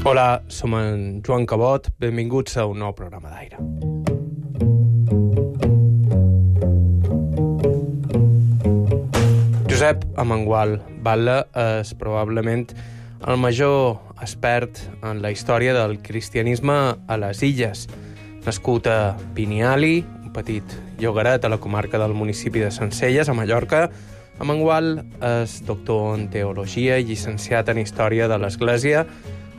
Hola, som en Joan Cabot, benvinguts a un nou programa d'aire. Josep Amengual Batlle és probablement el major expert en la història del cristianisme a les Illes. Nascut a Biniali, un petit llogaret a la comarca del municipi de Sencelles, a Mallorca, Amengual és doctor en teologia i llicenciat en història de l'Església.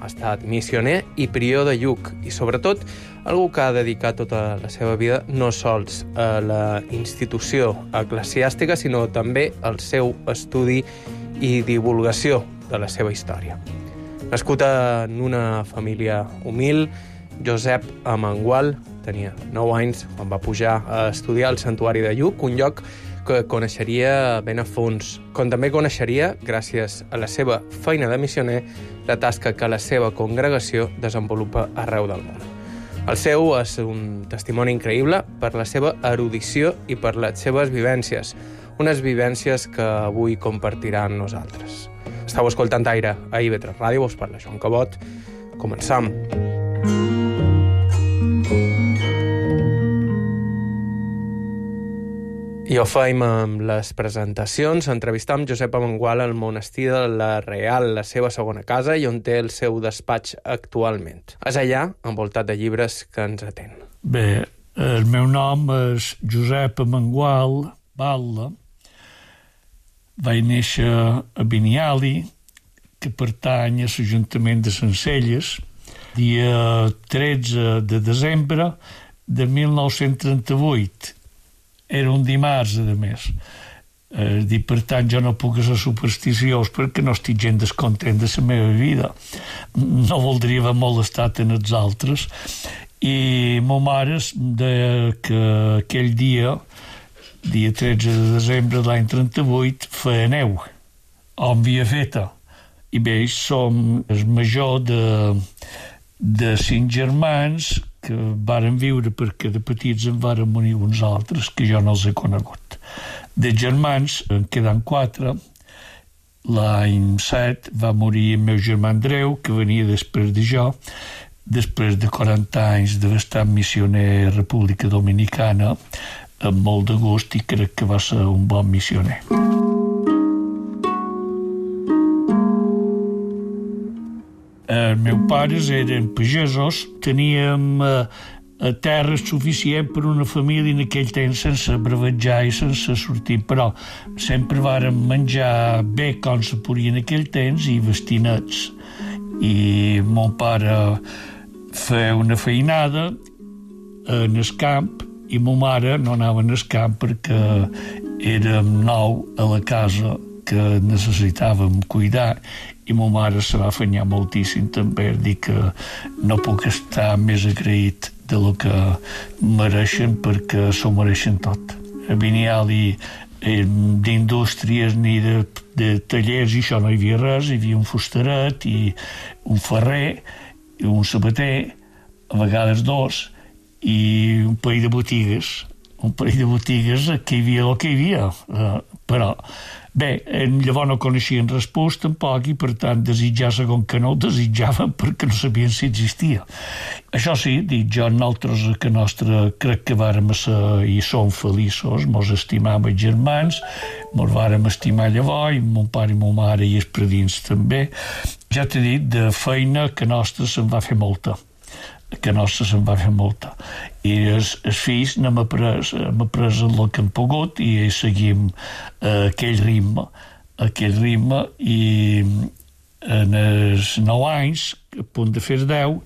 Ha estat missioner i prior de Lluc i, sobretot, algú que ha dedicat tota la seva vida no sols a la institució eclesiàstica, sinó també al seu estudi i divulgació de la seva història. Nascut en una família humil, Josep Amengual tenia 9 anys quan va pujar a estudiar al Santuari de Lluc, un lloc que coneixeria ben a fons, com també coneixeria, gràcies a la seva feina de missioner, la tasca que la seva congregació desenvolupa arreu del món. El seu és un testimoni increïble per la seva erudició i per les seves vivències, unes vivències que avui compartirà amb nosaltres. Estau escoltant Aire a IB3 Ràdio, us parla Joan Cabot. Començam. I ho feim amb les presentacions. Entrevistam Josep Amengual al monestir de la Real, la seva segona casa, i on té el seu despatx actualment. És allà, envoltat de llibres, que ens atén. Bé, el meu nom és Josep Amengual Batlle. Vaig néixer a Biniali, que pertany a l'Ajuntament de Sencelles, dia 13 de desembre de 1938. Era un dimarts, a més. Per tant, jo no puc ser supersticiós perquè no estic gens descontent de la meva vida. No voldria haver molestat en els altres. I ma mare deia que aquell dia 13 de desembre de l'any 38, feia neu. On havia feta. I bé, som el major de 5 germans que varen viure perquè de petits en varen morir uns altres que jo no els he conegut. De germans en queden 4. L'any 7 va morir el meu germà Andreu, que venia després de jo, després de 40 anys d'haver estat missioner a República Dominicana, amb molt de gust, i crec que va ser un bon missioner. Els meus pares eren pagesos, teníem terra suficient per una família en aquell temps sense bravejar i sense sortir, però sempre vàrem menjar bé com se podia en aquell temps i vestir nets. I mon pare feia una feinada en el camp i ma mare no anava en el camp perquè érem 9 a la casa que necessitàvem cuidar, i ma mare se va afanyar moltíssim també a dir que no puc estar més agraït de lo que mereixen, perquè s'ho mereixen tot. A Biniali d'indústries ni de tallers i això no hi havia res, hi havia un fustaret i un ferrer i un sabater, a vegades 2, i un parell de botigues. Que hi havia el que hi havia, però bé, llavors no coneixien res tampoc, i per tant desitjar segon que no ho desitjaven perquè no sabien si existia. Això sí, dic jo, nosaltres a que nostra crec que vàrem ser i som feliços, mos estimàvem els germans, mos vàrem estimar llavors, i mon pare i mon mare i els predins també. Ja t'he dit, de feina que nostra se'n va fer molta. I els fills n'hem après el que hem pogut i seguim aquell ritme, i en els 9 anys, a punt de fer 10,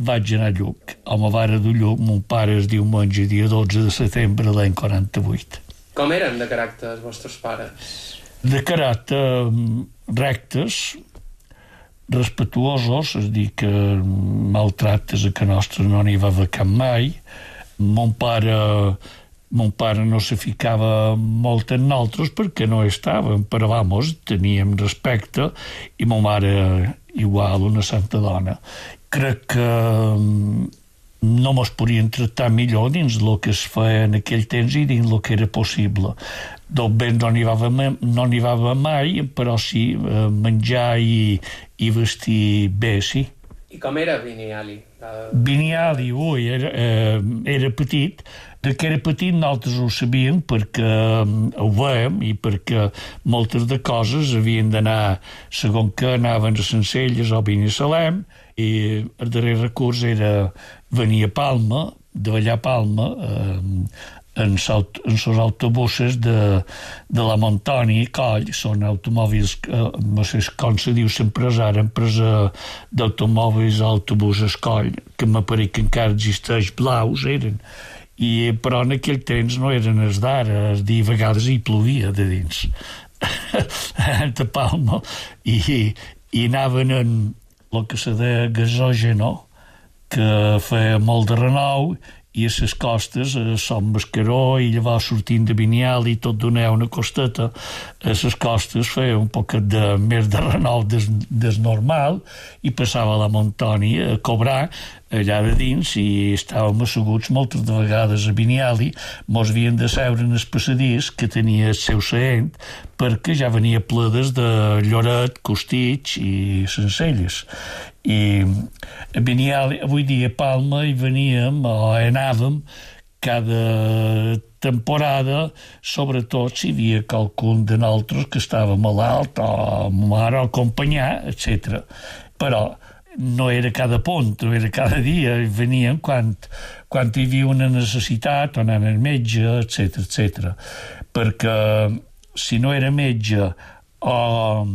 vaig anar a Lluc. A ma mare de Lluc, mon pare es diumenge, dia 12 de setembre de l'any 48. Com eren de caràcter els vostres pares? De caràcter rectes, respetuosos, és a dir, que maltractes a que nostre no n'hi va haver cap mai. Mon pare no se ficava molt en nosaltres perquè no estàvem, però teníem respecte, i ma mare igual, una santa dona. Crec que no mos podien tractar millor dins el que es feia en aquell temps i dins el que era possible. Del bé no n'hi va mai, però sí menjar i vestir bé, sí. I com era Vinyali? Vinyali, era petit. De que era petit nosaltres ho sabíem perquè ho veiem i perquè moltes de coses havien d'anar, segons que anaven a Sencelles o Binissalem, i el darrer recurs era venir a Palma, de ballar a Palma, en els autobusos de la Montoni i Coll. Són automòbils, no sé com se diu l'empresa d'automòbils autobusos Coll, que m'apareix que encara existeix, blaus eren. Però en aquell temps no eren els d'ara, a vegades hi plovia de dins de Palma i anaven en el que se deia gasògeno, que feia molt de renou, i a les costes, a Sant Mascaró, i llavors sortint de Vinyali, tot donava una costeta, a les costes feia un poquet més de renou des normal, i passava a la Montònia a cobrar allà de dins, i estàvem asseguts moltes de vegades a Vinyali, mos havien de seure en el passadís que tenia el seu seient, perquè ja venia pledes de Lloret, Costitx i Sencelles. I a Vinyali, avui dia a Palma, hi veníem o anàvem cada temporada, sobretot si hi havia qualcun de nosaltres que estava malalt o mare o acompanyar, etc. Però no era cada punt, no era cada dia, veníem quan hi havia una necessitat o anant al metge, etc. Perquè si no era metge o,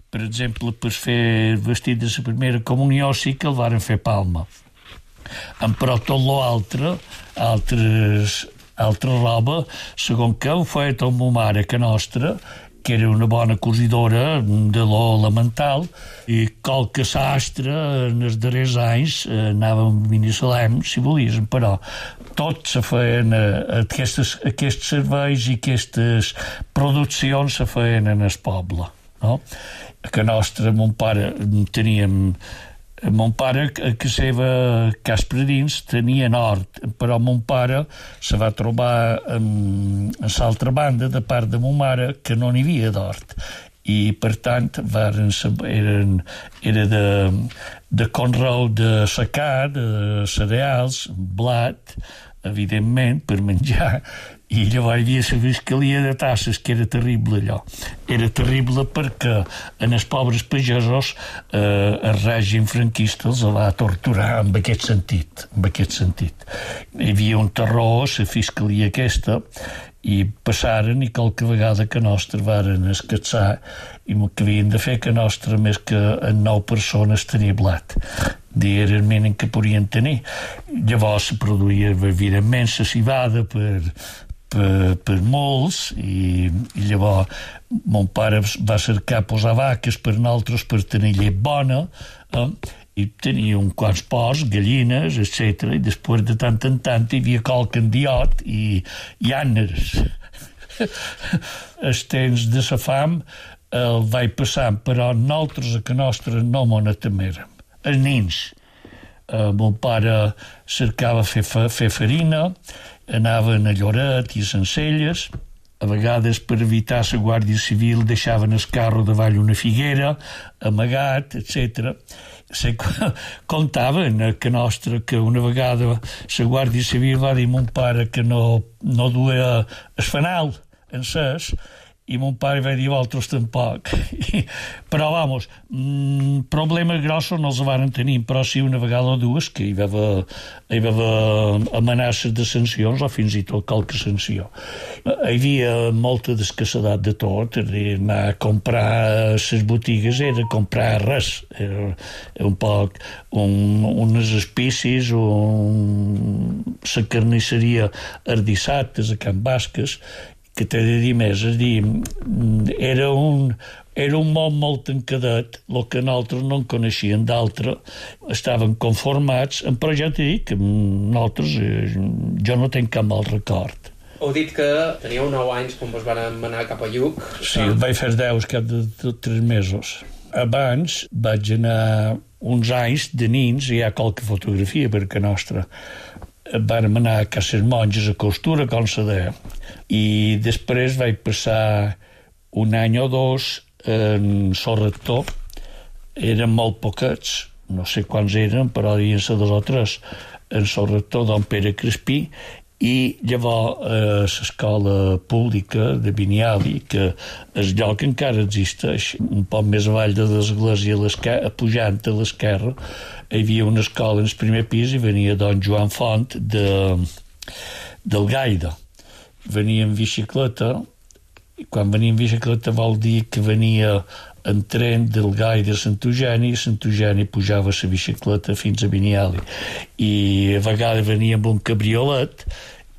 per exemple, per fer el vestit de la primera comunió, sí que el varen fer a Palma. Però tot l'altre, altra roba, segons que ho feia tot ma mare, que nostra, que era una bona cosidora de lo elemental, i qualque sastre en els darrers anys anàvem a Binissalem, si volies, però tot se feien, aquests serveis i aquestes produccions se feien en el poble, no? Que nostre, mon pare, teníem... Mon pare, que seva cas per dins, tenia hort, però mon pare se va trobar en l'altra banda, de part de mon mare, que no n'hi havia d'hort. I, per tant, era de conreu de secà, de cereals, blat, evidentment, per menjar, i llavors hi havia la fiscalia de tasses, que era terrible allò. Era terrible perquè en els pobres pagesos el règim franquista els va torturar en aquest sentit. Hi havia un terror a la fiscalia aquesta, i passaren, i qualque vegada que nostre varen escatzar, i que havien de fer que nostre més que en 9 persones tenia blat. Era el mínim que podien tenir. Llavors se produïa, evidentment, la civada per molts, i llavors mon pare va cercar posar vaques per nosaltres per tenir llet bona, i tenia uns quants porcs, gallines, etc. I després de tant en tant hi havia qualque endiot i àneres. Els temps de la fam el vaig passant, però nosaltres a que nostre no m'ho temérem. Els nins. Mon pare cercava fer farina, anaven a Lloret i a Sencelles, a vegades per evitar la Guàrdia Civil deixaven el carro davall una figuera, amagat, etc. Contaven que nostre, que una vegada la Guàrdia Civil va dir a mon pare que no duia el fanal encès, i mon pare va dir altres tampoc. Però, vamos, problemes grossos no els van tenir, però sí una vegada o dues que hi va haver amenaces de sancions o fins i tot qualque sanció. Hi havia molta d'escassedat de tot, anar a comprar a les botigues era comprar res, era un poc unes espicis, la carnisseria els dissabtes a Can Basques, que t'he de dir més, és a dir, era un món molt tancadet, el que nosaltres no en coneixien d'altre, estaven conformats, però ja t'he dit que nosaltres, jo no tenc cap mal record. Heu dit que teníeu 9 anys quan vos van anar cap a Lluc. Sí, vaig fer 10 cap de 3 mesos. Abans vaig anar uns anys de nins, i hi ha qualque fotografia perquè nostra. Vam anar a Cases Monges a costura, com se deia, i després vaig passar un any o dos en Sorrector. Eren molt poquets, no sé quants eren, però devien ser 2 o 3, en el rector don Pere Crespí, i llavors l'escola pública de Biniali, que el lloc encara existeix, un poc més avall de l'església, pujant a l'esquerra, hi havia una escola en el primer pis i venia don Joan Font del Gaida. Venia en bicicleta, i quan venia en bicicleta vol dir que venia en tren del Gaida a Sant Eugeni pujava la bicicleta fins a Biniali. I a vegades venia amb un cabriolet,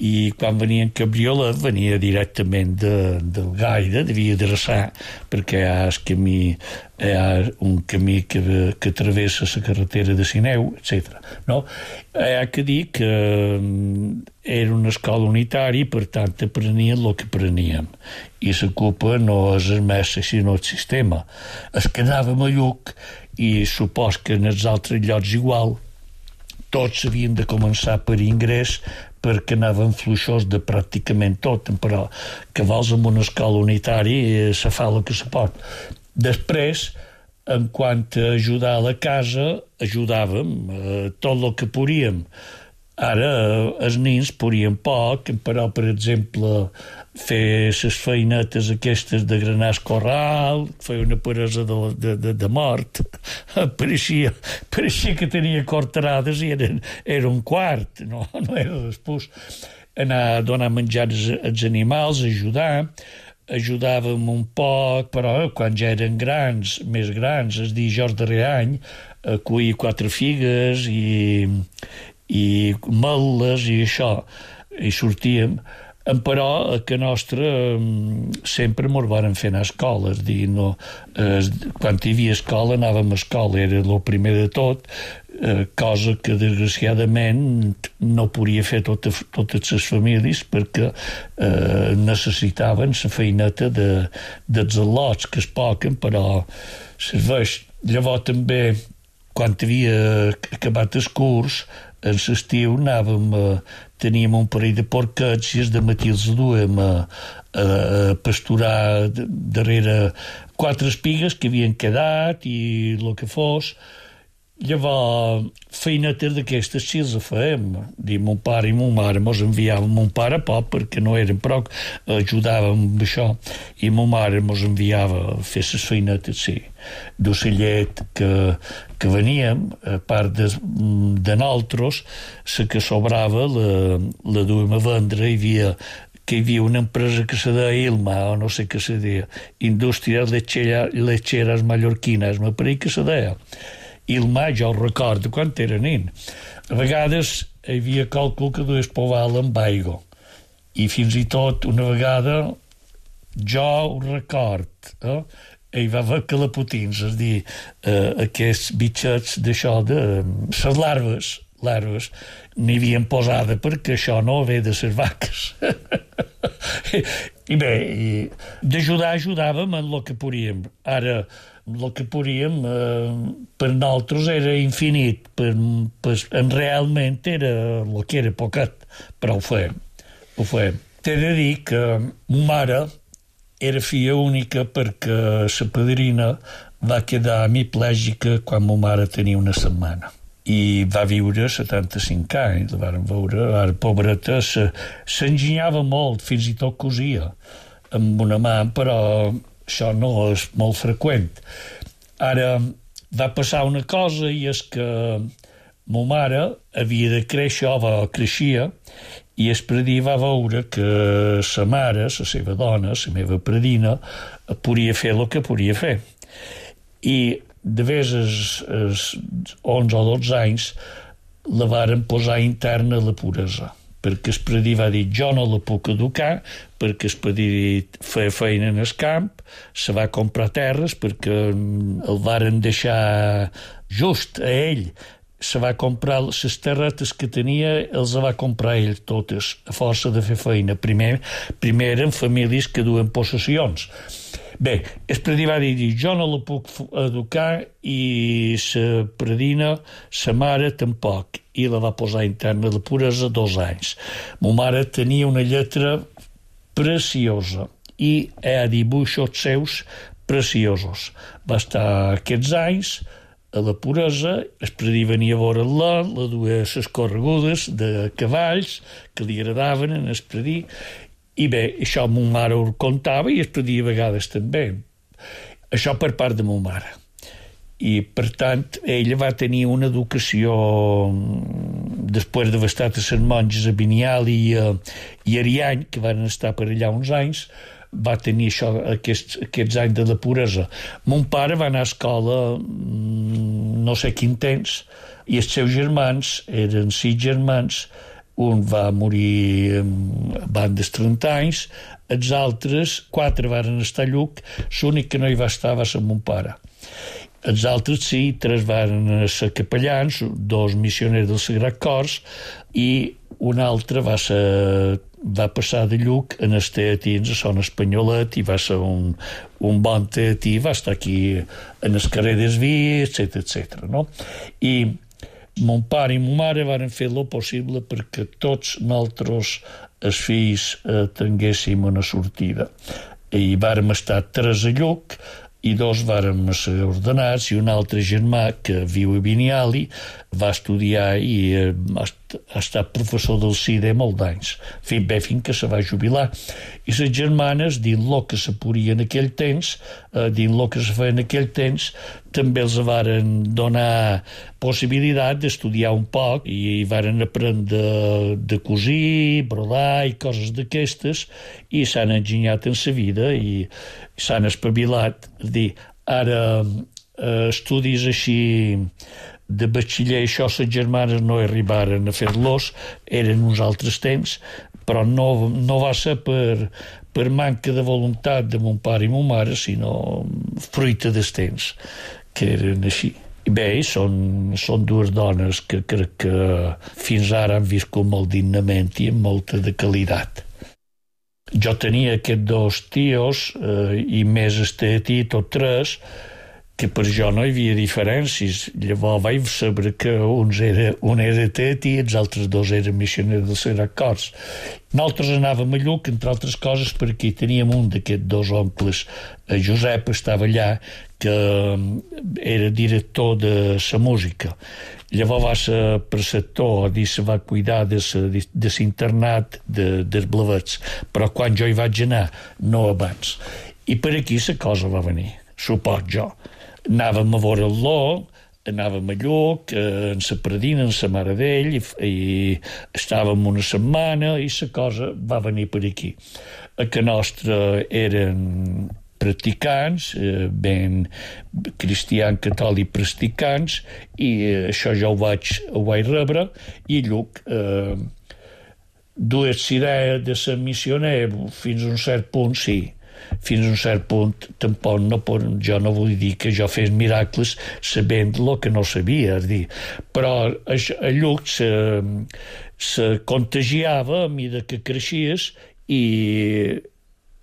i quan venia en cabriolet venia directament del Gaida, devia adreçar, perquè hi ha un camí que travessa la carretera de Sineu, etc. No? Hi ha que dir que era una escola unitària i per tant aprenien el que apreníem, i la culpa no és el mestre sinó el sistema. Es quedàvem a Lluc i supos que en els altres llocs igual tots havien de començar per ingrés perquè anàvem fluixos de pràcticament tot, però que vols amb una escola unitària se fa el que se pot. Després, en quant a ajudar a la casa, ajudàvem tot el que podíem. Ara, els nins podien poc, però, per exemple, fer les feinetes aquestes de granar corral, fer una peresa de mort, pareixia que tenia cortarades i era un quart, no era després. Anar a donar menjar als animals, ajudàvem un poc, però quan ja eren més grans, és dir, jo el darrer any, a cuir 4 figues i meles i això, i sortíem, però a que nostra sempre mos varen fer anar a escola, és dir, no, quan hi havia escola anàvem a escola, era el primer de tot, cosa que desgraciadament no podia fer totes les famílies perquè necessitaven la feineta dels al·lots que es poquen, però serveix. Llavors també, quan havia acabat el curs, en l'estiu teníem un parell de porquets i de matí els duem a pasturar darrere 4 espigues que havien quedat i el que fos. Llavors, feinetes d'aquestes sí els fèiem. Mon pare i mon mare mos enviaven, mon pare poc perquè no eren prou, ajudàvem amb això, i mon mare mos enviava a fer les feinetes, sí, d'ocellet que veníem, a part de nosaltres, la que sobrava la duem a vendre. Hi havia una empresa que se deia Ilma, o no sé què se deia, Indústries Lecheras Mallorquines, me pareix que se deia. Ilma, jo ho recordo quan era nin. A vegades hi havia càlcul que dues poval amb aigua. I fins i tot una vegada jo ho record, hi va haver calapotins, és a dir, aquests bitxets d'això, de les larves, n'hi havien posada perquè això no ve de les vaques. I bé, ajudàvem en el que podíem. Ara, el que podíem per nosaltres era infinit, realment era el que era poquet, però ho fèiem. T'he de dir que ma mare era filla única perquè la padrina va quedar hemiplègica quan ma mare tenia una setmana i va viure 75 anys, la vàrem veure, ara pobreta s'enginyava molt, fins i tot cosia amb una mà, però això no és molt freqüent. Ara va passar una cosa, i és que ma mare havia de créixer, creixia, i el predí va veure que sa mare, la seva dona, la meva predina, podia fer el que podia fer. I de vegades als 11 o 12 anys la varen posar interna a la puresa, perquè el predí va dir jo no la puc educar, perquè el predí feia feina en el camp, se va comprar terres perquè el varen deixar just a ell, se va comprar les terretes que tenia, els va comprar ell totes, a força de fer feina. Primer eren famílies que duen possessions. Bé, el predí va dir jo no la puc educar i la predina, sa mare tampoc, i la va posar interna de puresa 2 anys. Ma mare tenia una lletra preciosa i hi ha dibuixos seus preciosos. Va estar aquests anys a la Puresa, el predí venia a veure-la, la duia les corregudes de cavalls que li agradaven en el predí, i bé, això mon mare ho contava i el predí a vegades també. Això per part de mon mare. I, per tant, ella va tenir una educació, després d'haver estat a les monges a Biniali i Ariany, que van estar per allà uns anys, va tenir aquests anys de la puresa. Mon pare va anar a escola no sé quin temps, i els seus germans eren 6 germans, un va morir abans dels 30 anys, els altres 4 van estar a Lluc, l'únic que no hi va estar va ser mon pare. Els altres sí, 3 van ser capellans, 2 missioners del Sagrat Cors, i un altre va passar de Lluc en els teatins a Son Espanyolet i va ser un bon teatí, va estar aquí en el carrer d'Esví, etc. No? I mon pare i mon mare van fer lo possible perquè tots nosaltres, els fills, tinguéssim una sortida. I vàrem estar 3 a Lluc, i 2 vàrem ser ordenats, i un altre germà que viu a Biniali va estudiar i ha estat professor del CIDE molt d'anys, fins que se va jubilar. I les germanes, dins el que se podia en aquell temps, dins el que se feia en aquell temps, també els varen donar possibilitat d'estudiar un poc i varen aprendre de cosir, brodar i coses d'aquestes, i s'han enginyat en sa vida i s'han espavilat. És dir, ara estudis així de batxiller, això les germanes no arribaren a fer-los, eren uns altres temps, però no va ser per manca de voluntat de mon pare i mon mare, sinó fruita dels temps, que eren així. I bé, són 2 dones que crec que fins ara han viscut molt dignament i amb molta de qualitat. Jo tenia aquests 2 tios i més el tetí, tot 3, que per jo no hi havia diferències. Llavors vaig saber que un era tetí i els altres 2 eren missioners del Sagrat Cors. Nosaltres anàvem a Lluc, entre altres coses, perquè teníem un d'aquests 2 oncles, Josep, estava allà, que era director de la música. Llavors va ser preceptor i se va cuidar de l'internat dels Blavets, però quan jo hi vaig anar, no abans. I per aquí la cosa va venir, suport jo. Anàvem a veure-lo, anàvem a Lluc, en la predina, en la mare d'ell, i estàvem una setmana i la cosa va venir per aquí. A que nostre eren practicants, ben cristians, catòlics practicants, i això jo ho vaig rebre, i Lluc dues idees de ser missioner fins a un cert punt, sí. Fins a un cert punt, tampoc jo no vull dir que jo fes miracles sabent el que no sabia, és dir, però a Lluc se contagiava a mesura que creixies, i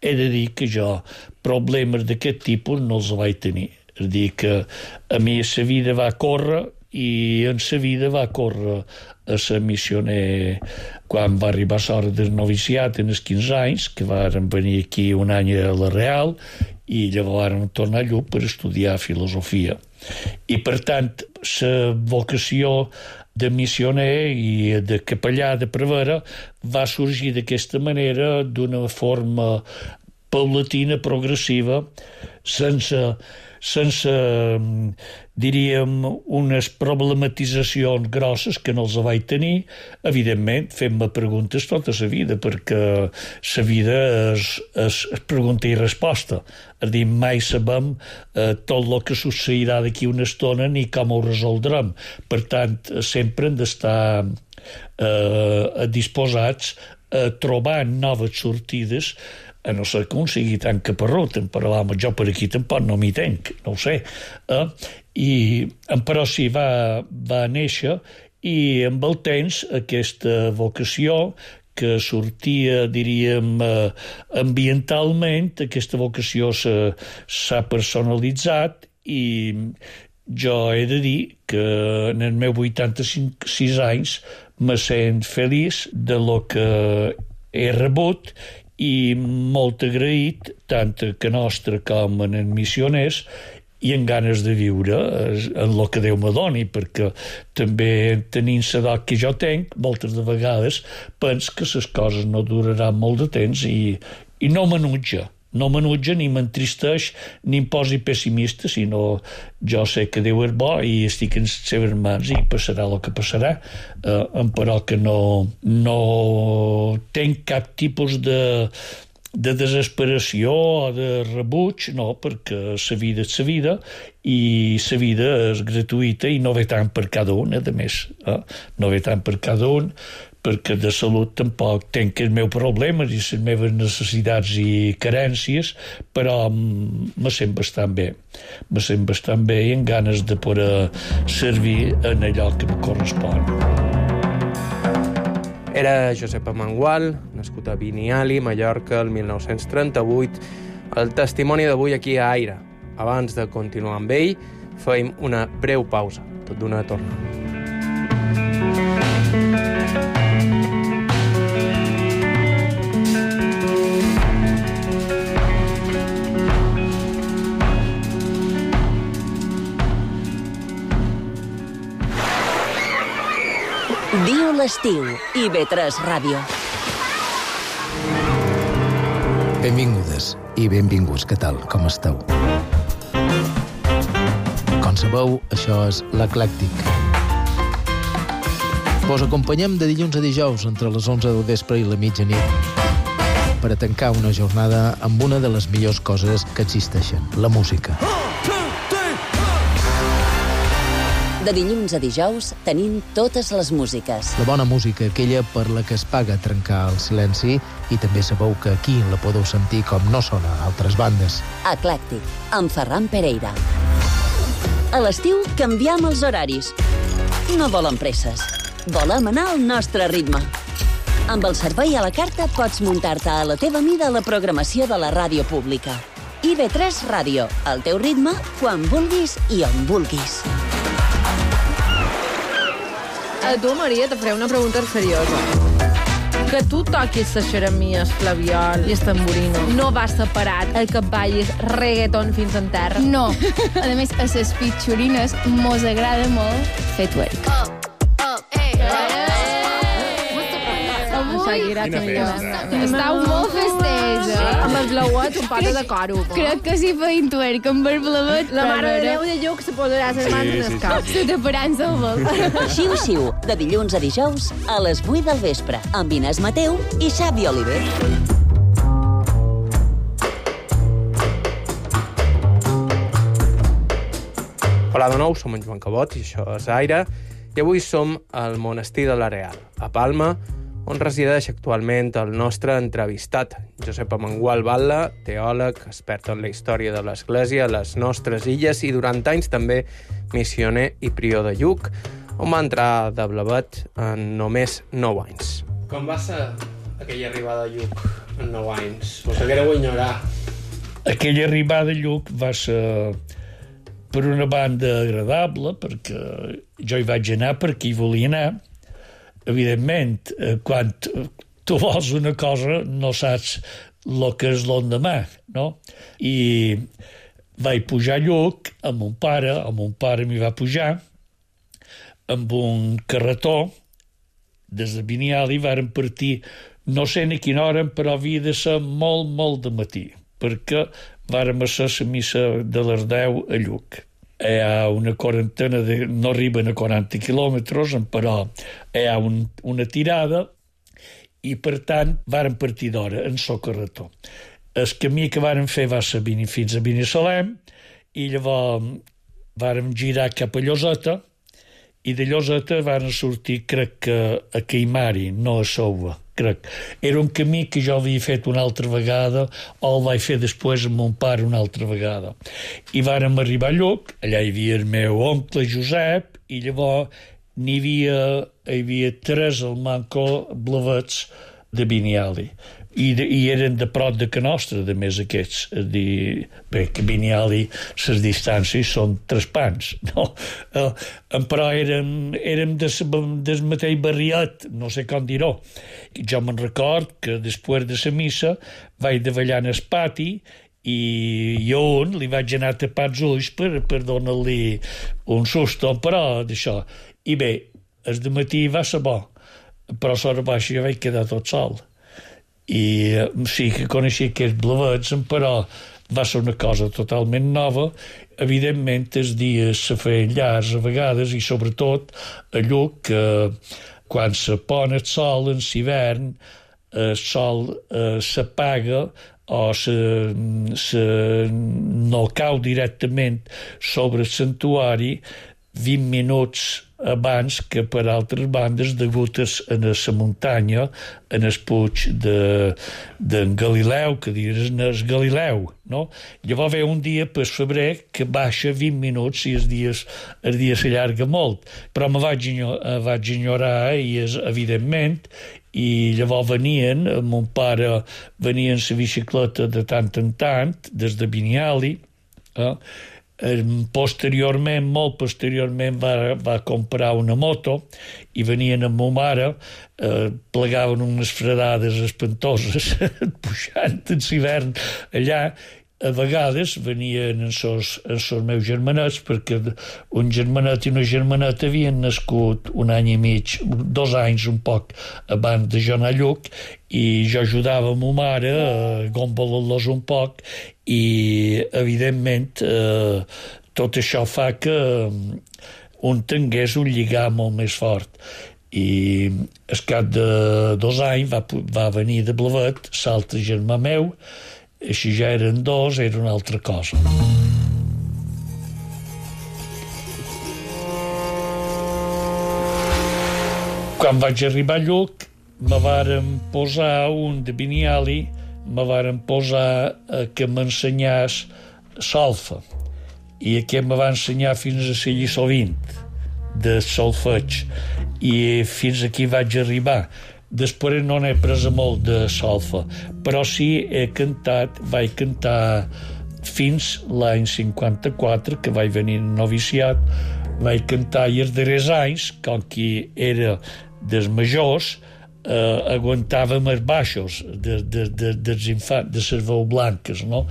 he de dir que jo problemes d'aquest tipus no els vaig tenir. És dir, que a mi la vida va córrer i en la vida va córrer a ser missioner quan va arribar l'hora del noviciat en els 15 anys, que varen venir aquí un any a la Real i llavors varen tornar a Lluc per estudiar filosofia. I per tant, la vocació de missioner i de capellà de prevere va sorgir d'aquesta manera, d'una forma paulatina, progressiva, sense diríem, unes problematitzacions grosses que no els vaig tenir, evidentment fent-me preguntes tota la vida, perquè la vida és pregunta i resposta. És dir, mai sabem tot el que succeirà d'aquí una estona ni com ho resoldrem. Per tant, sempre hem d'estar disposats a trobar noves sortides, a no ser que un sigui tan caparrut, però jo per aquí tampoc no m'hi tenc, no ho sé. Però sí, va néixer, i amb el temps aquesta vocació que sortia, diríem, ambientalment, aquesta vocació s'ha personalitzat, i jo he de dir que en els meus 86 anys me sent feliç de lo que he rebut i molt agraït tant a que nostre com en els missioners, i en ganes de viure en el que Déu me doni, perquè també tenint l'edat que jo tenc, moltes de vegades penso que les coses no duraran molt de temps i no m'enutja ni m'entristeix ni em posi pessimista, sinó jo sé que Déu és bo i estic en les seves mans i passarà el que passarà, però que no tenc cap tipus de desesperació o de rebuig, no, perquè la vida és la vida i la vida és gratuïta i no ve tant per cada un, a més, no ve tant per cada un, perquè de salut tampoc tenc els meus problemes i les meves necessitats i carències, però me sent bastant bé i amb ganes de poder servir en allò que me correspon. Era Josep Amengual, nascut a Biniali, Mallorca, el 1938. El testimoni d'avui aquí a Aire. Abans de continuar amb ell, fem una breu pausa, tot d'una tornada. Viu l'estiu, IB3 Ràdio. Benvingudes i benvinguts, què tal, com esteu? Com sabeu, això és l'Eclèctic. Vos acompanyem de dilluns a dijous entre les 11 del vespre i la mitjanit per a tancar una jornada amb una de les millors coses que existeixen, la música. De dilluns a dijous tenim totes les músiques. La bona música, aquella per la que es paga trencar el silenci, i també sabeu que aquí la podeu sentir com no sona a altres bandes. Eclèctic, amb Ferran Pereira. A l'estiu canviem els horaris. No volem presses. Volem anar al nostre ritme. Amb el servei a la carta pots muntar-te a la teva mida la programació de la ràdio pública. IB3 Ràdio, al teu ritme, quan vulguis i on vulguis. A tu, Maria, te faré una pregunta seriosa. Que tu toquis la xeremia, el flabiol i el tamborino no va separat el que ballis reggaeton fins en terra? No. A més, a les pitxorines mos agrada molt fer twerk. Quina festa. Estau molt festeja. Amb els blauets, un pata de coro. Crec que si feien twerk amb el blavet... La mare de Déu de Lluc se posarà les mans en el cap. Se taparan el vol. Xiu-xiu, de dilluns a dijous, a les 8 del vespre, amb Inés Mateu i Xavi Oliver. Hola de nou, som en Joan Cabot i això és Aire, i avui som al monestir de l'Areal, a Palma, on resideix actualment el nostre entrevistat, Josep Amengual Batlle, teòleg, expert en la història de l'Església a les nostres illes i durant anys també missioner i prior de Lluc, on va entrar de blavet en només 9 anys. Com va ser aquella arribada a Lluc en 9 anys? Us haguéreu ignorar. Aquella arribada a Lluc va ser, per una banda, agradable, perquè jo hi vaig anar perquè hi volia anar. Evidentment, quan tu vols una cosa no saps el que és l'endemà, no? I vaig pujar a Lluc amb mon pare m'hi va pujar amb un carretó des de Biniali, vàrem partir no sé ni quina hora, però havia de ser molt, molt de matí, perquè vàrem fer la missa de les 10 a Lluc. Hi ha una quarantena, no arriben a 40 quilòmetres, però hi ha una tirada i, per tant, vàrem partir d'hora en el carretó. El camí que vàrem fer va ser fins a Binissalem i llavors vàrem girar cap a Lloseta i de Lloseta vàrem sortir, crec que a Caimari, no a Souva. Crec. Era un camí que jo havia fet una altra vegada o el vaig fer després amb mon pare una altra vegada. I vàrem arribar a Lluc, allà hi havia el meu oncle Josep i llavors hi havia 3 al manco blavets de Biniali. I eren de prop de que nostra, de més aquests. Bé, que Biniali, les distàncies són 3 pans, no? Però érem del mateix barriat, no sé com dir-ho. Jo me'n record que després de la missa vaig davallar en el pati i jo li vaig anar a tapar els ulls per donar-li un susto, però d'això. I bé, el dematí va ser bo, però a l'hora baixa jo vaig quedar tot sol. I sí que coneixia aquests blavets, però va ser una cosa totalment nova. Evidentment, els dies se feien llargs a vegades, i sobretot a Lluc, quan se pon el sol en l'hivern, el sol s'apaga o no cau directament sobre el santuari 20 minuts abans que per altres bandes degut a la muntanya, en el puig d'en Galileu, que diuen el Galileu, no? Llavors ve un dia per febrer que baixa 20 minuts i el dia s'allarga molt, però me vaig enyorar, i evidentment, i llavors venien, mon pare venia en la bicicleta de tant en tant, des de Biniali, posteriorment, molt posteriorment, va comprar una moto i venien amb ma mare, plegaven unes fredades espantoses pujant en l'hivern allà. A vegades venien els meus germanets, perquè un germanet i una germaneta havien nascut un any i mig, 2 anys un poc abans de jo anar a Lluc, i jo ajudava a ma mare a gombolar-los un poc, i evidentment tot això fa que un tingués un lligam molt més fort. I al cap de 2 anys va venir de Blavet l'altre germà meu. Així ja eren 2, era una altra cosa. Quan vaig arribar a Lluc, me varen posar un de Biniali, me varen posar que m'ensenyés solfa, i aquest me va ensenyar fins a la lliçó 20 de solfeig, i fins aquí vaig arribar. Després no n'he pres molt de solfa, però sí vaig cantar fins l'any 54, que vaig venir en noviciat. Vaig cantar i els darrers anys, com que era dels majors, aguantàvem els baixos dels infants, de les veus blanques, no?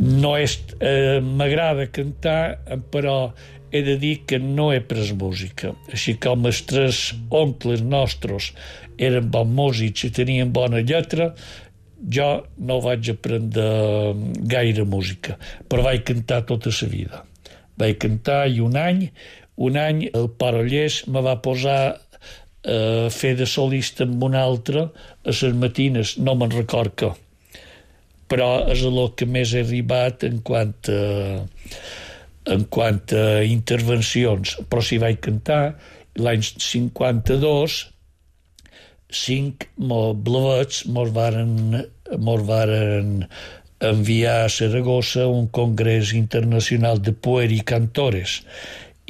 M'agrada cantar, però he de dir que no he pres música. Així com els 3 oncles nostres eren bons músics i tenien bona lletra, jo no vaig aprendre gaire música, però vaig cantar tota la vida. Vaig cantar, i un any el Parollers me va posar a fer de solista amb un altre a les matines, no me'n record què, però és el que més he arribat en quant a intervencions. Però si vaig cantar, l'any 52, 5 blavets mos varen enviar a Saragossa un congrés internacional de poer i cantores,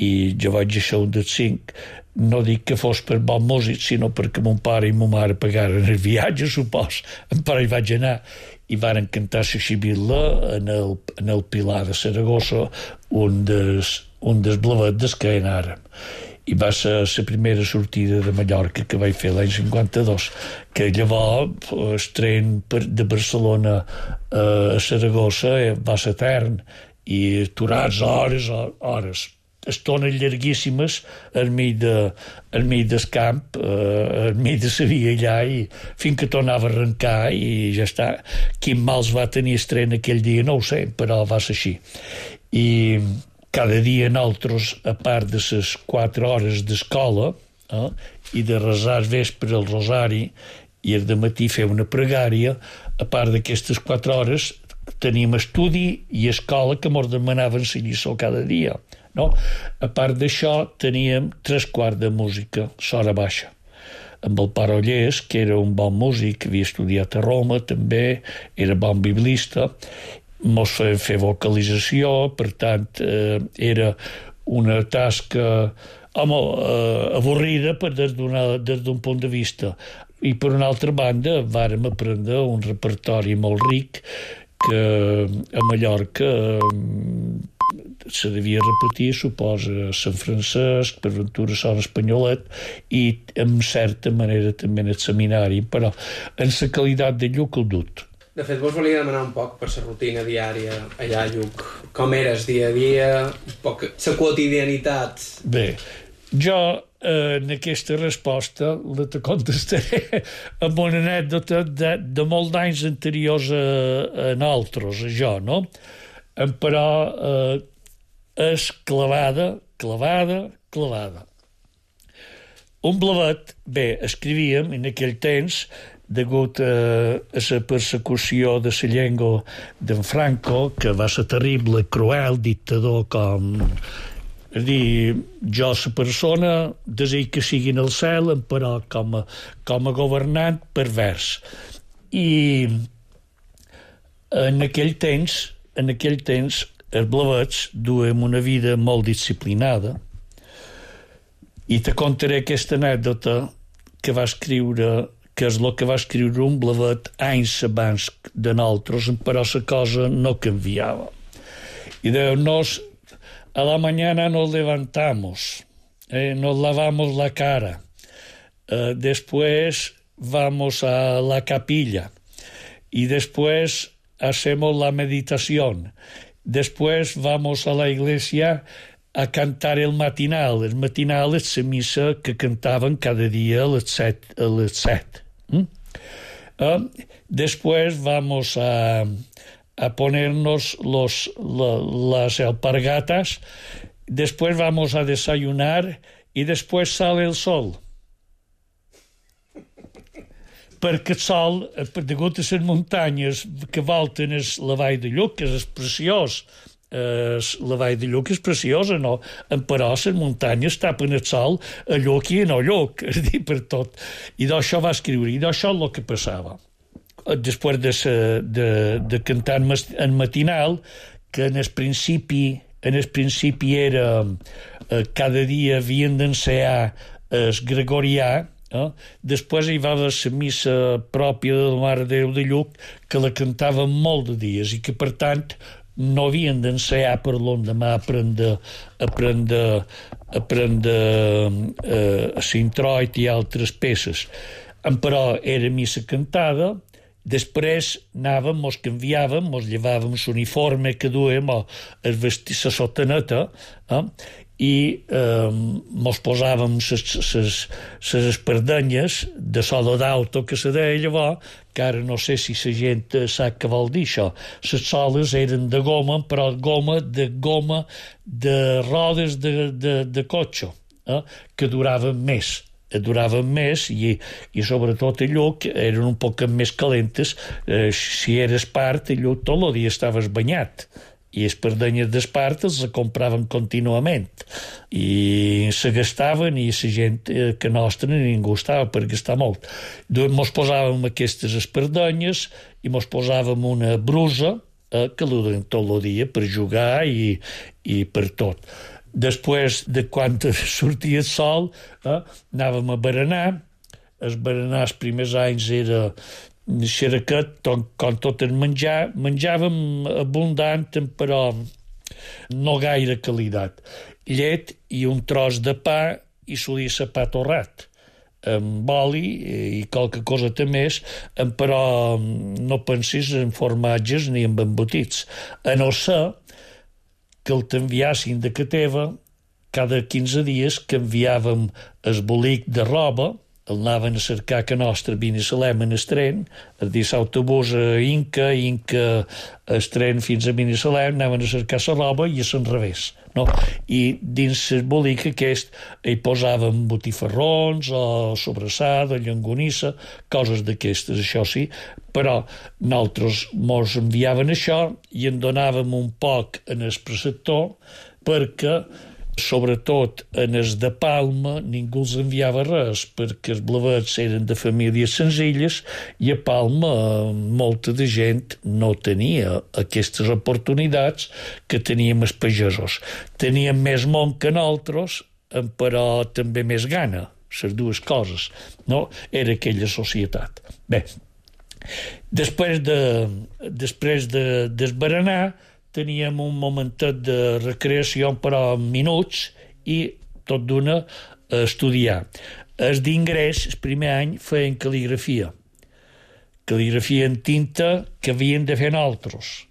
i jo vaig ser un dels 5. No dic que fos per bon músic, sinó perquè mon pare i mon mare pagaren el viatge, supos, però hi vaig anar, i varen cantar la xibilla en el Pilar de Saragossa, un dels blavets que anàrem. I va ser la primera sortida de Mallorca que vaig fer l'any 52, que llavors el tren de Barcelona a Saragossa va ser etern, i aturats hores, estones llarguíssimes al mig del camp, al mig de la via allà, i fins que tornava a arrencar, i ja està. Quin mals va tenir el tren aquell dia no ho sé, però va ser així. I cada dia nosaltres, a part de les 4 hores d'escola, i de resar al vespre el rosari, i el dematí fer una pregària, a part d'aquestes 4 hores teníem estudi i escola que mos demanaven la lliçó cada dia, no? A part d'això teníem 3/4 de música, l'hora baixa, amb el Parollers, que era un bon músic, havia estudiat a Roma també, era bon biblista, mos feien fer vocalització, per tant era una tasca avorrida des d'un punt de vista, i per una altra banda vàrem aprendre un repertori molt ric que a Mallorca se devia repetir, suposa, Sant Francesc, per Ventura Sant Espanyolet, i en certa manera també en el seminari, però en la qualitat de Lluc el dut. De fet, vos volia demanar un poc per la rutina diària allà a Lluc. Com eres dia a dia, un poc la quotidianitat. Bé, jo en aquesta resposta la te contestaré amb una anècdota de molts anys anteriors a nosaltres, a jo, no? Però és clavada. Un blavet, bé, escrivíem en aquell temps, degut a la persecució de la llengua d'en Franco, que va ser terrible, cruel, dictador com... És dir, jo, la persona, desig que sigui en el cel, però com a governant pervers. I en aquell temps, els blavets duem una vida molt disciplinada, i te contaré aquesta anècdota que va escriure, que és el que va escriure un blavet anys abans de nosaltres, però la cosa no canviava. Y nos a la mañana nos levantamos, nos lavamos la cara, después vamos a la capilla y después hacemos la meditación, después vamos a la iglesia a cantar el matinal. El matinal és la missa que cantaven cada dia a les 7. Después vamos a ponernos las alpargatas, después vamos a desayunar y después sale el sol. Perquè el sol, degut a les muntanyes que volten la vall de Lluc, que és preciós, la vall de Lluc és preciosa, no? Però les muntanyes tapen el sol a Lluc i a no Lluc, és dir, per tot. I d'això va escriure, i d'això és el que passava. Després de cantar en matinal, que en el principi era cada dia havien d'ensenyar el gregorià, després hi va haver la missa pròpia de la Mare de Déu de Lluc, que la cantaven molt de dies i que, per tant, no havien d'ensenyar per l'endemà aprendre l'introit i altres peces. Però era missa cantada. Després anàvem, mos canviàvem, mos llevàvem l'uniforme que duem, la sotaneta, i mos posàvem les espardenyes de sola d'auto, que se deia llavors, que ara no sé si la gent sap què vol dir això. Les soles eren de goma, però goma de rodes de cotxe, que duraven més. I sobretot a Lluc eren un poc més calentes. Si eres part, a Lluc tot el dia estaves banyat, i les perdenyes d'espart els compraven contínuament i se gastaven, i la gent que nostra ningú estava per gastar molt. Mos posàvem aquestes espardenyes i mos posàvem una brusa que la duien tot el dia per jugar i per tot. Després de quan sortia el sol, anàvem a berenar. El berenar els primers anys era xeraquet, com tot el menjar. Menjàvem abundant, però no gaire qualitat. Llet i un tros de pa, i solia ser pa torrat, amb oli i qualque cosa més, però no pensis en formatges ni en embotits. A no ser que el t'enviassin de ca teva, cada 15 dies canviàvem el bolic de roba, el anaven a cercar a nostra a Binissalem en el tren, és dir, l'autobús a Inca el tren fins a Binissalem, anaven a cercar la roba i a l'enrevés, no? I dins el bolic aquest hi posàvem botifarrons o sobrassada, llonganissa, coses d'aquestes, això sí, però nosaltres mos enviaven això i en donàvem un poc en el preceptor, perquè sobretot en els de Palma ningú els enviava res, perquè els blavets eren de famílies senzilles i a Palma molta de gent no tenia aquestes oportunitats que teníem els pagesos. Teníem més món que nosaltres, però també més gana, les dues coses, no? Era aquella societat. Bé, després d'esberenar teníem un momentet de recreació, però minuts, i tot d'una estudiar. Els d'ingrés, el primer any, feien cal·ligrafia. cal·ligrafia en tinta que havien de fer nosaltres.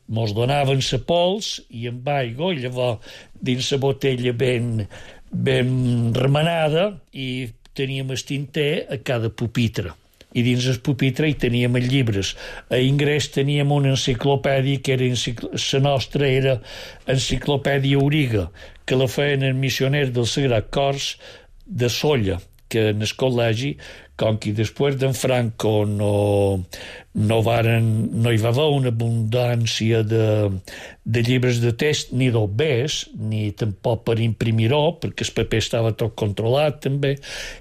Mos donaven la pols i amb aigua, i llavors dins la botella ben remenada, i teníem el tinter a cada pupitre. I dins el pupitre hi teníem els llibres. A Ingrés teníem una enciclopèdia que era la nostra era Enciclopèdia Auriga, que la feien els missioners del Sagrat Cors de Solla, que en el col·legi, com que després d'en Franco no hi va haver una abundància de llibres de text, ni d'obès, ni tampoc per imprimir-ho, perquè el paper estava tot controlat també,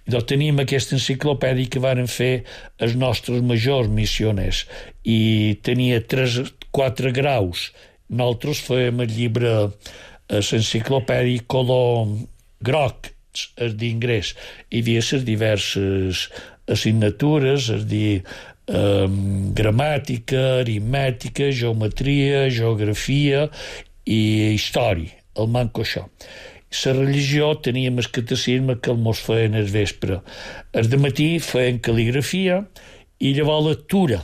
i doncs teníem aquesta enciclopèdia que varen fer els nostres majors missioners, i tenia 4 graus. Nosaltres fèiem el llibre, l'enciclopèdia color groc, és d'Ingrés. Hi havia les diverses assignatures, és dir, gramàtica, aritmètica, geometria, geografia i història, el manco això. La religió teníem el catecisme que el mos feien al vespre. El dematí feien cal·ligrafia i llavors lectura,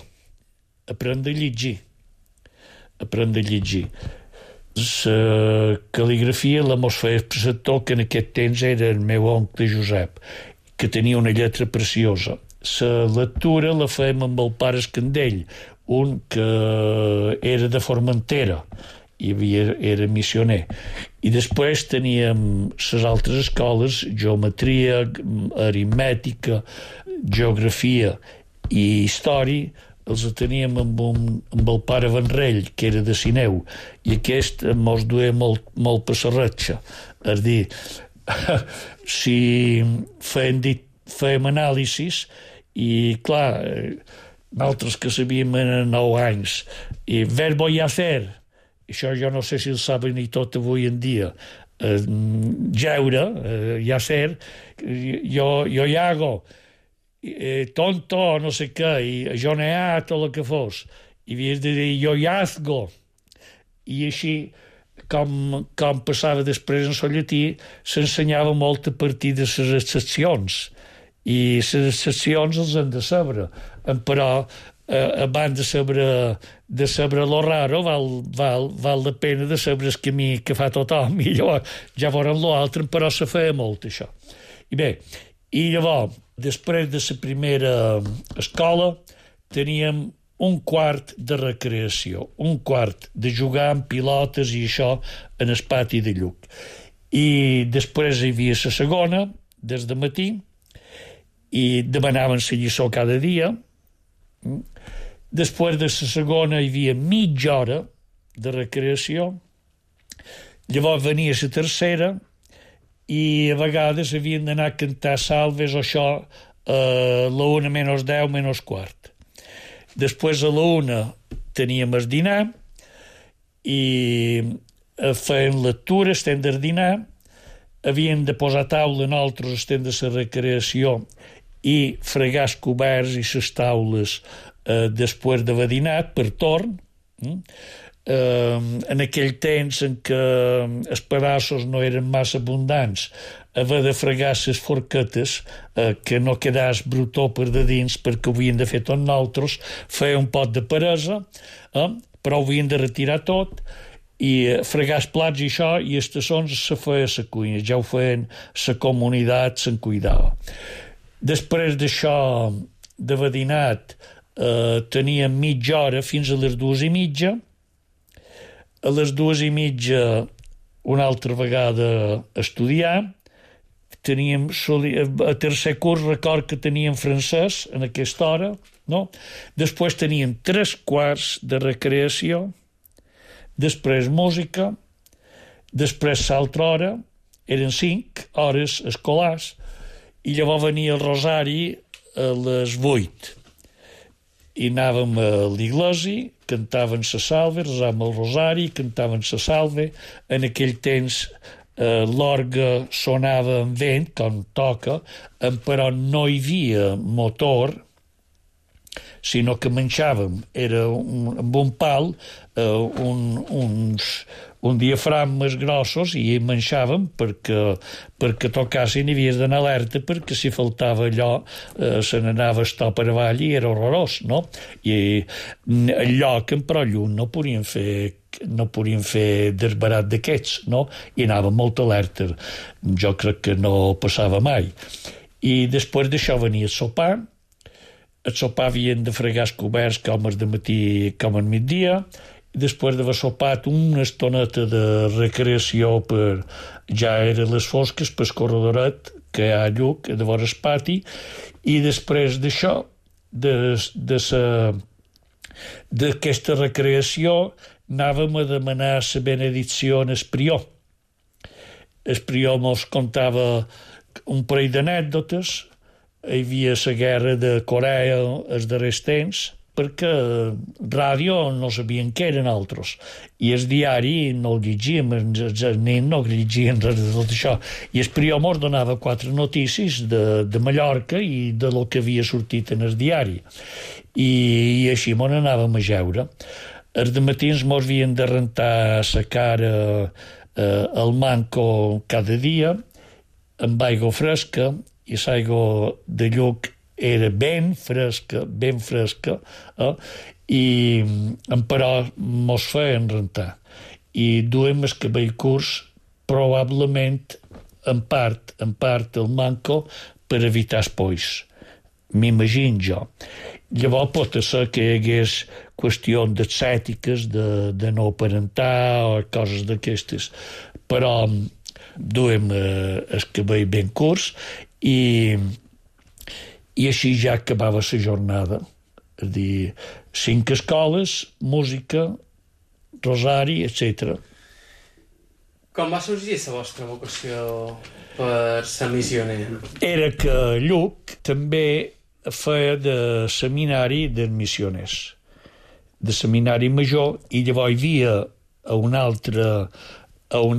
aprendre a llegir. La cal·ligrafia la mos feia el preceptor, que en aquest temps era el meu oncle Josep, que tenia una lletra preciosa. La lectura la fèiem amb el pare Escandell, un que era de Formentera i era missioner. I després teníem les altres escoles, geometria, aritmètica, geografia i història, els teníem amb el pare Vanrell, que era de Sineu, i aquest mos duia molt passarratxa. És dir, si fèiem anàlisis, i clar, nosaltres que sabíem en 9 anys, i verbo y hacer, això jo no sé si el saben ni tot avui en dia, jeure, y hacer, jo hi hago, tonto, no sé què, i jo n'he tot el que fos, i havies de dir jo hazgo, i així, com passava després en el llatí, s'ensenyava molt a partir de les excepcions, i les excepcions els hem de saber, però abans de saber lo raro val la pena de saber el camí que fa tothom, i llavors ja veurem l'altre, però se feia molt això. I bé, i llavors, després de la primera escola, teníem un quart de recreació, un quart de jugar amb pilotes i això en el pati de Lluc. I després hi havia la segona, des de matí, i demanaven la lliçó cada dia. Després de la segona hi havia mitja hora de recreació. Llavors venia la tercera, i a vegades havien d'anar a cantar salves o això a la 1 menys 10 menys quart. Després a la 1 teníem el dinar i feien lectura, estem de dinar, havien de posar taula nosaltres, estem de la recreació, i fregar els coberts i les taules després d'haver dinat per torn. En aquell temps en què els pedassos no eren massa abundants, haver de fregar les forquetes, que no quedàs brutó per de dins, perquè ho havien de fer tot nosaltres, feia un pot de peresa, però ho havien de retirar tot, i fregar els plats i això, i els tassons se feia a la cuina, ja ho feien la comunitat, se'n cuidava. Després d'això, d'haver dinat, teníem mitja hora fins a les 2:30. A les 2:30 una altra vegada estudiar. Teníem a tercer curs, record que teníem francès en aquesta hora, no? Després teníem 3 quarts de recreació, després música, després l'altra hora, eren 5 hores escolars, i llavors venia el rosari a les 8. I anàvem a l'església, cantaven la salve, resàvem el rosari, cantaven la salve. En aquell temps l'orgue sonava amb vent, com toca, però no hi havia motor, sinó que menjàvem, era amb un pal, un diafragmes grossos i menjàvem perquè tocassin i havies d'anar alerta perquè si faltava allò se n'anava estar per avall i era horrorós, no? I el lloc en Prollunt no podien fer desbarat d'aquests, no? I anava molt alerta. Jo crec que no passava mai. I després d'això venia el sopar. El sopar havien de fregar els coberts com el dematí com al migdia. Després d'haver sopat una estoneta de recreació ja eren les fosques pel corredoret que hi ha a Lluc, de vora el pati, i després d'això, d'aquesta recreació, anàvem a demanar la benedicció en el prior. El prior mos contava un parell d'anècdotes. Hi havia la guerra de Corea els darrers temps, perquè ràdio no sabien què eren altres, i el diari no el llegíem, els nens no llegien res de tot això, i el prior mos donava 4 notícies de Mallorca i de lo que havia sortit en el diari, i així mos anàvem a jeure. Els dematins mos havien de rentar la cara al manco cada dia amb aigua fresca, i l'aigua de Lluc era ben fresca, però mos feien rentar. I duem el cabell curs probablement en part el manco per evitar espolls. M'imagino jo. Llavors pot ser que hi hagués qüestions d'estètiques, de no parentar o coses d'aquestes, però duem el cabell ben curs i així ja acabava la jornada. És a dir, 5 escoles, música, rosari, etc. Com va sorgir la vostra vocació per ser missioner? Era que Lluc també feia de seminari de missioners, de seminari major, i llavors hi havia a un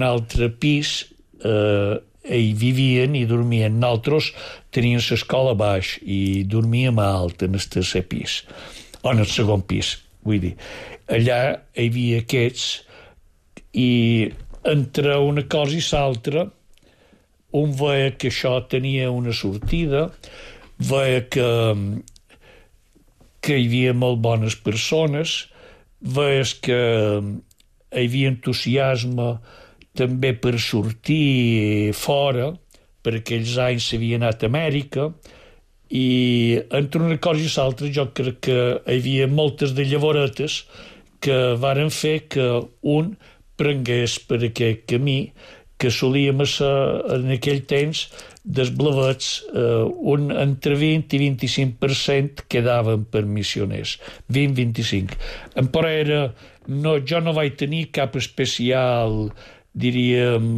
altre pis hi vivien i dormien. Nosaltres teníem l'escola baix i dormíem a alt en el tercer pis, o en el segon pis, vull dir. Allà hi havia aquests, i entre una cosa i l'altra un veia que això tenia una sortida, veia que hi havia molt bones persones, veies que hi havia entusiasme també per sortir fora. Per aquells anys s'havia anat a Amèrica, i entre una cosa i l'altra jo crec que hi havia moltes de llavoretes que varen fer que un prengués per aquest camí que solíem en aquell temps dels blavets, entre 20 i 25% quedaven per missioners, 20-25. Però jo no vaig tenir cap especial, diríem,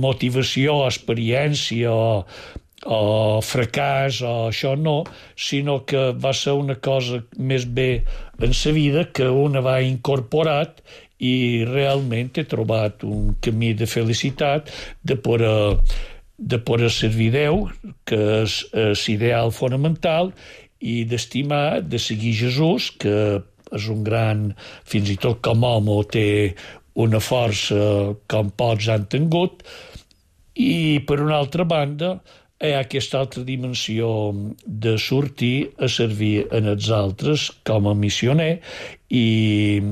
motivació, experiència o fracàs o això no, sinó que va ser una cosa més bé en sa vida que una va incorporat, i realment he trobat un camí de felicitat de poder servir Déu, que és l'ideal fonamental, i d'estimar, de seguir Jesús, que és un gran, fins i tot com a home té una força com pocs han tingut, i per una altra banda hi ha aquesta altra dimensió de sortir a servir en els altres com a missioner, i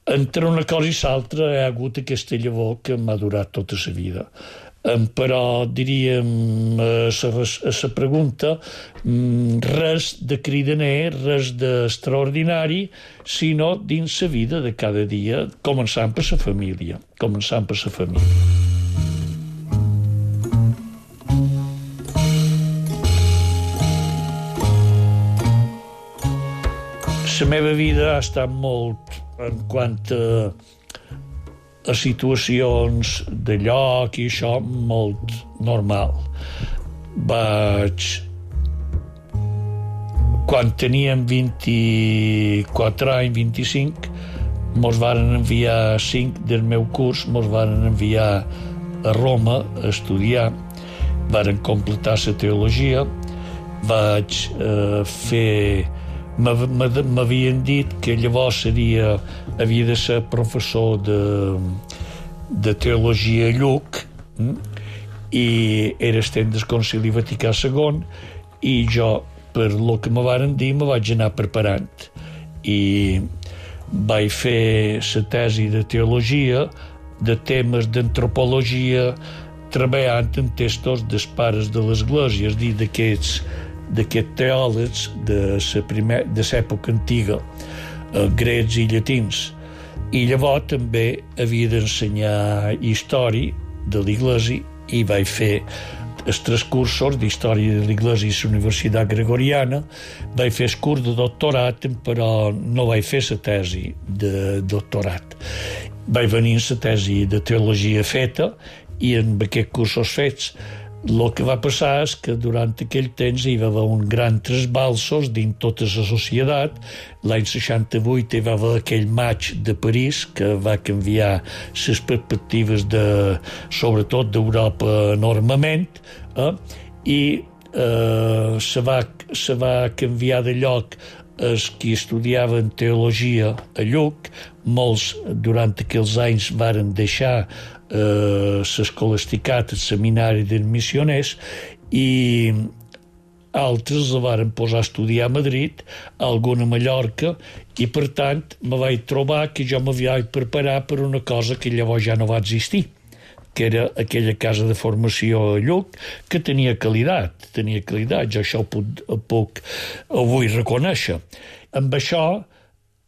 entre una cosa i l'altra hi ha hagut aquesta llavor que m'ha durat tota la vida. Però diríem a la pregunta, res de cridaner, res d'extraordinari, sinó dins la vida de cada dia, començant per la família. La meva vida ha estat molt en quant a situacions de lloc i això, molt normal. Quan teníem 24 anys, 25, mos varen enviar 5 del meu curs, mos varen enviar a Roma a estudiar, varen completar la teologia, vaig fer m'havien dit que llavors havia de ser professor de teologia a Lluc, i era estent del Concili Vaticà II, i jo, per lo que me varen dir, me vaig anar preparant i vaig fer la tesi de teologia, de temes d'antropologia, treballant en textos dels pares de l'Església, és a dir, d'aquests teòlegs de l'època antiga, grecs i llatins. I llavors també havia d'ensenyar història de l'Església i vaig fer els 3 cursos d'història de l'Església a la Universitat Gregoriana. Vaig fer el curs de doctorat, però no vaig fer la tesi de doctorat. Vaig venir amb la tesi de teologia feta i amb aquests cursos fets. El que va passar és que durant aquell temps hi va haver un gran trasbalsos dins tota la societat. L'any 68 hi va haver aquell maig de París que va canviar les perspectives sobretot d'Europa enormement, i se va canviar de lloc els qui estudiaven teologia a Lluc. Molts durant aquells anys varen deixar l'escolasticat, el seminari dels missioners, i altres la varen posar a estudiar a Madrid, algun a Mallorca, i per tant me vaig trobar que jo me vaig preparar per una cosa que llavors ja no va existir, que era aquella casa de formació a Lluc, que tenia qualitat, jo això ho puc avui reconèixer. Amb això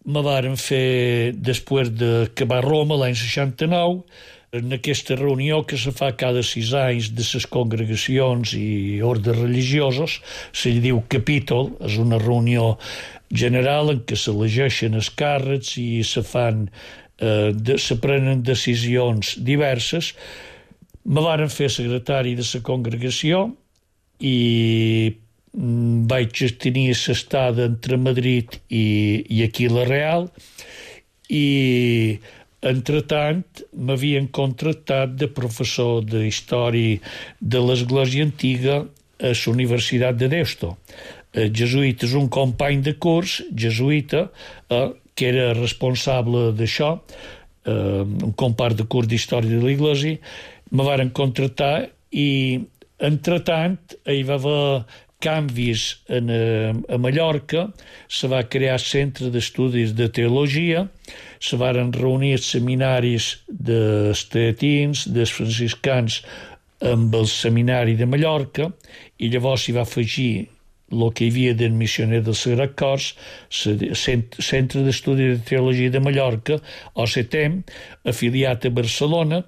me varen fer, després d'acabar Roma l'any 69, en aquesta reunió que se fa cada 6 anys de les congregacions i ordes religiosos, se li diu capítol, és una reunió general en què s'elegeixen els càrrecs i se prenen decisions diverses. Me varen fer secretari de la congregació i vaig tenir l'estada entre Madrid i aquí la Real, i entretant m'havien contractat de professor de història de l'Església Antiga a la Universitat de Deusto. El jesuïta és un company de curs jesuïta que era responsable d'això, un company de curs d'història de l'Església. Me varen contractar i entretant hi va haver canvis a Mallorca, se va crear el Centre d'Estudis de Teologia, se varen reunir els seminaris dels teatins, dels franciscans, amb el seminari de Mallorca, i llavors s'hi va afegir el que hi havia del missioner del Sagrat Cor, el Centre d'Estudis de Teologia de Mallorca, o CETEM, afiliat a Barcelona,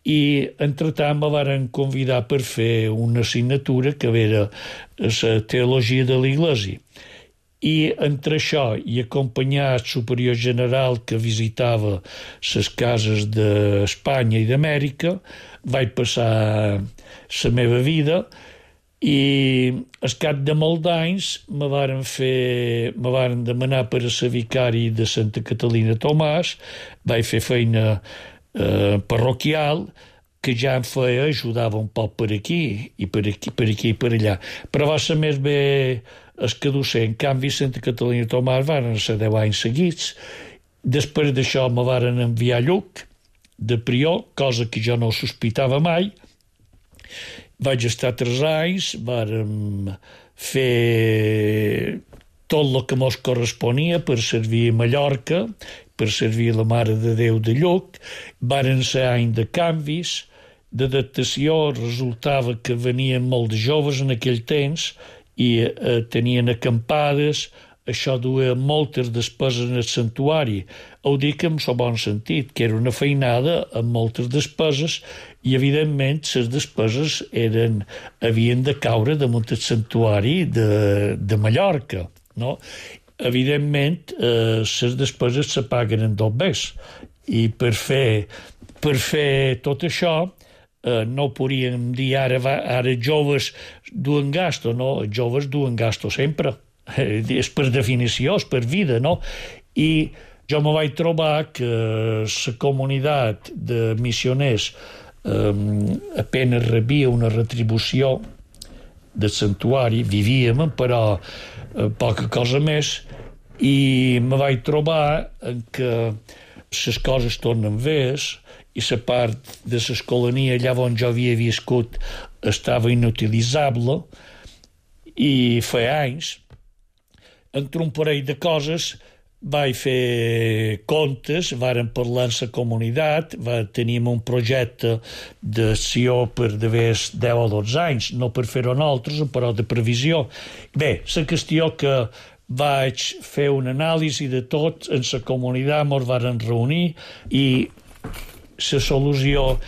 i entretant me varen convidar per fer una assignatura que era la teologia de l'Església. I entre això i acompanyar el superior general que visitava les cases d'Espanya i d'Amèrica, vaig passar la meva vida, i al cap de molts d'anys me varen demanar per a ser vicari de Santa Catalina Tomàs. Vaig fer feina parroquial, que ja em feia, ajudava un poc per aquí i per allà, però va ser més bé el que docent. En canvi, Santa Catalina Tomàs van ser 10 anys seguits. Després d'això me varen enviar a Lluc de prior, cosa que jo no sospitava mai. Vaig estar 3 anys, vàrem fer tot el que mos corresponia per servir a Mallorca, per servir la Mare de Déu de Lluc. Varen ser anys de canvis, d'adaptació. Resultava que venien molt de joves en aquell temps i tenien acampades. Això duia moltes despeses en el santuari. Ho dic en el bon sentit, que era una feinada amb moltes despeses, i evidentment les despeses havien de caure damunt el santuari de Mallorca, no? Evidentment, les despeses se paguen en 2 vegades, i per fer tot això no podríem dir ara joves duen gasto, no? Els joves duen gasto sempre, és per definició, és per vida, no? I jo me vaig trobar que la comunitat de missioners apenas rebia una retribució del santuari, vivíem, però poca cosa més, i me vaig trobar que les coses tornen vés i la part de l'escolania allà on jo havia viscut estava inutilitzable, i fa anys, entre un parell de coses, vaig fer comptes, vàrem parlar amb la comunitat, teníem un projecte d'acció per d'haver 10 o 12 anys, no per fer-ho nosaltres, però de previsió. Bé, la qüestió que vaig fer una anàlisi de tot, en la comunitat ens varen reunir i la solució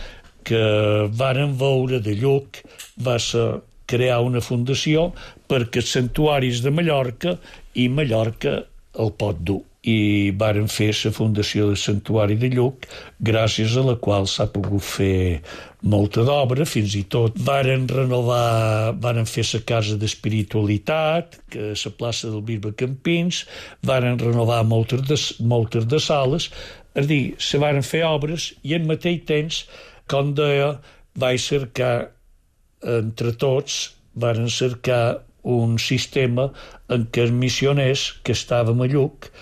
que varen veure de lluc va ser crear una fundació perquè els santuaris de Mallorca i Mallorca el pot dur. I varen fer la fundació del santuari de Lluc, gràcies a la qual s'ha pogut fer molta d'obra, fins i tot varen fer la casa d'espiritualitat, que la plaça del Bisbe Campins, varen renovar moltes de sales, és a dir, se varen fer obres i al mateix temps, com deia, vaig cercar entre tots, varen cercar un sistema en què els missioners que estàvem a Lluc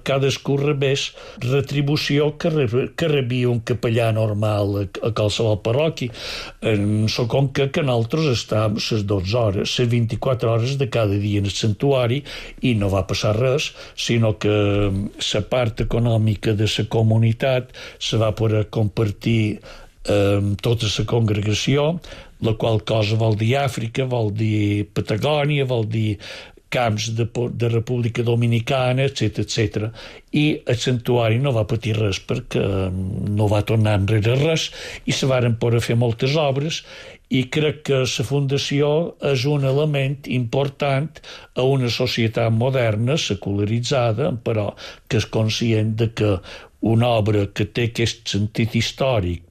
cadascú rebés retribució que rebia un capellà normal a qualsevol parròquia. En la conca que nosaltres estàvem les 12 hores, les 24 hores de cada dia en el santuari i no va passar res, sinó que la part econòmica de la comunitat se va poder compartir amb tota la congregació, la qual cosa vol dir Àfrica, vol dir Patagònia, vol dir camps de República Dominicana, etc. I el santuari no va patir res perquè no va tornar enrere res i se varen poder fer moltes obres i crec que la fundació és un element important a una societat moderna, secularitzada, però que és conscient de que una obra que té aquest sentit històric,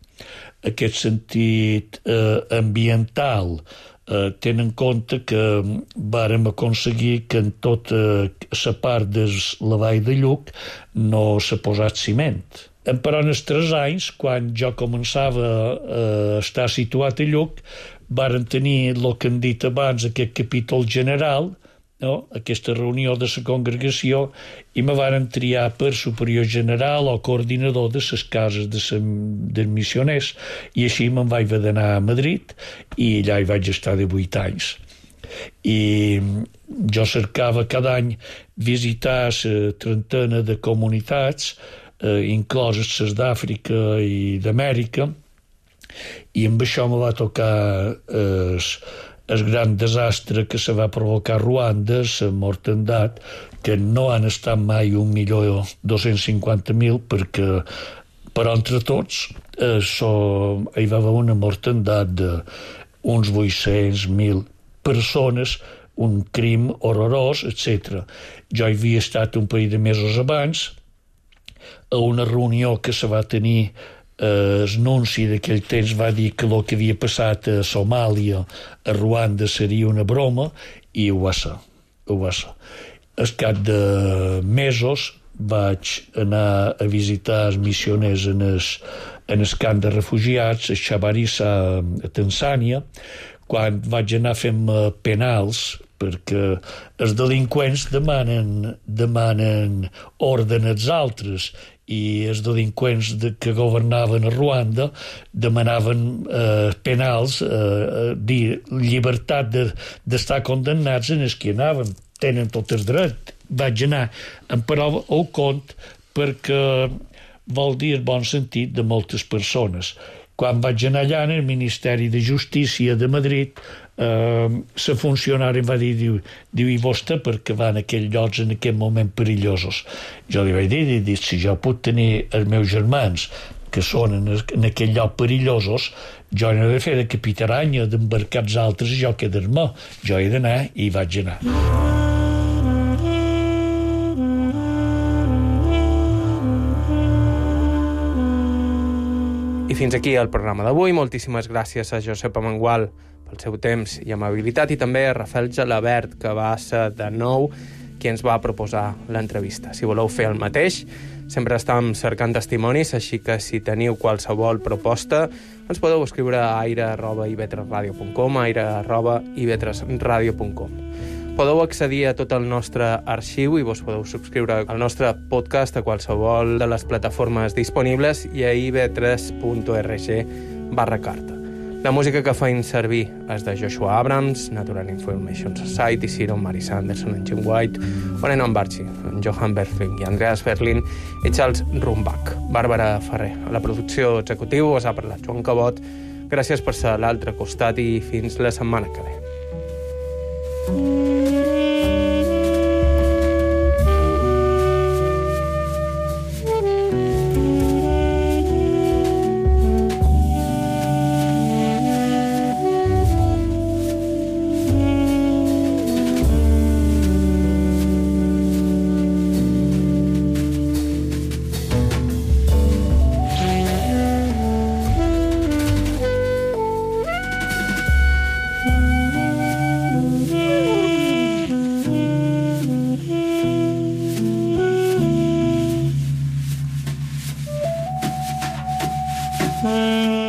aquest sentit ambiental, tenen en compte que vàrem aconseguir que en tota la part de la vall de Lluc no s'ha posat ciment. Però en els 3 anys, quan jo començava a estar situat a Lluc, varen tenir el que hem dit abans, aquest capítol general, no? Aquesta reunió de la congregació, i me varen triar per superior general o coordinador de les cases dels missioners, i així me'n vaig haver d'anar a Madrid i allà hi vaig estar de 8 anys. I jo cercava cada any visitar la trentena de comunitats, incloses les d'Àfrica i d'Amèrica, i amb això me va tocar el gran desastre que se va provocar a Ruanda, la mortandat, que no han estat mai 1.250.000 perquè, però entre tots hi va haver una mortandat d'uns 800.000 persones, un crim horrorós, etc. Jo hi havia estat un parell de mesos abans a una reunió que se va tenir. El nunci d'aquell temps va dir que el que havia passat a Somàlia, a Ruanda, seria una broma, i ho va ser. Al cap de mesos vaig anar a visitar els missioners en el camp de refugiats, a Chabarissa, a Tanzània, quan vaig anar fent penals, perquè els delinqüents demanen ordre als altres, i els delinqüents que governaven a Ruanda demanaven penals, dir llibertat d'estar condemnats en els que anaven, tenen tot el dret. Vaig anar en prova o compte perquè vol dir el bon sentit de moltes persones. Quan vaig anar allà en el Ministeri de Justícia de Madrid, la funcionària em va dir, diu, i vostè perquè va en aquells llocs en aquest moment perillosos? Jo li vaig dir, si jo puc tenir els meus germans que són en aquell lloc perillosos, jo no he de fer de capitaranya, d'embarcar els altres i jo quedar-me. Jo he d'anar i vaig anar. I fins aquí el programa d'avui. Moltíssimes gràcies a Josep Amengual pel seu temps i amabilitat, i també a Rafael Gelabert, que va ser de nou qui ens va proposar l'entrevista. Si voleu fer el mateix, sempre estem cercant testimonis, així que si teniu qualsevol proposta, ens podeu escriure a aire@ivetresradio.com, aire@ivetresradio.com. Podeu accedir a tot el nostre arxiu i vos podeu subscriure al nostre podcast a qualsevol de les plataformes disponibles i a ib3.org/carta. La música que feim servir és de Joshua Abrams, Natural Information Society, Ciro, Mary Sanderson, en Jim White, Orenon Barchi, en Johan Berling i Andreas Berlin i Charles Rumbach. Bàrbara Ferrer. A la producció executiva us ha parlat Joan Cabot. Gràcies per ser a l'altre costat i fins la setmana que ve. Mm-hmm.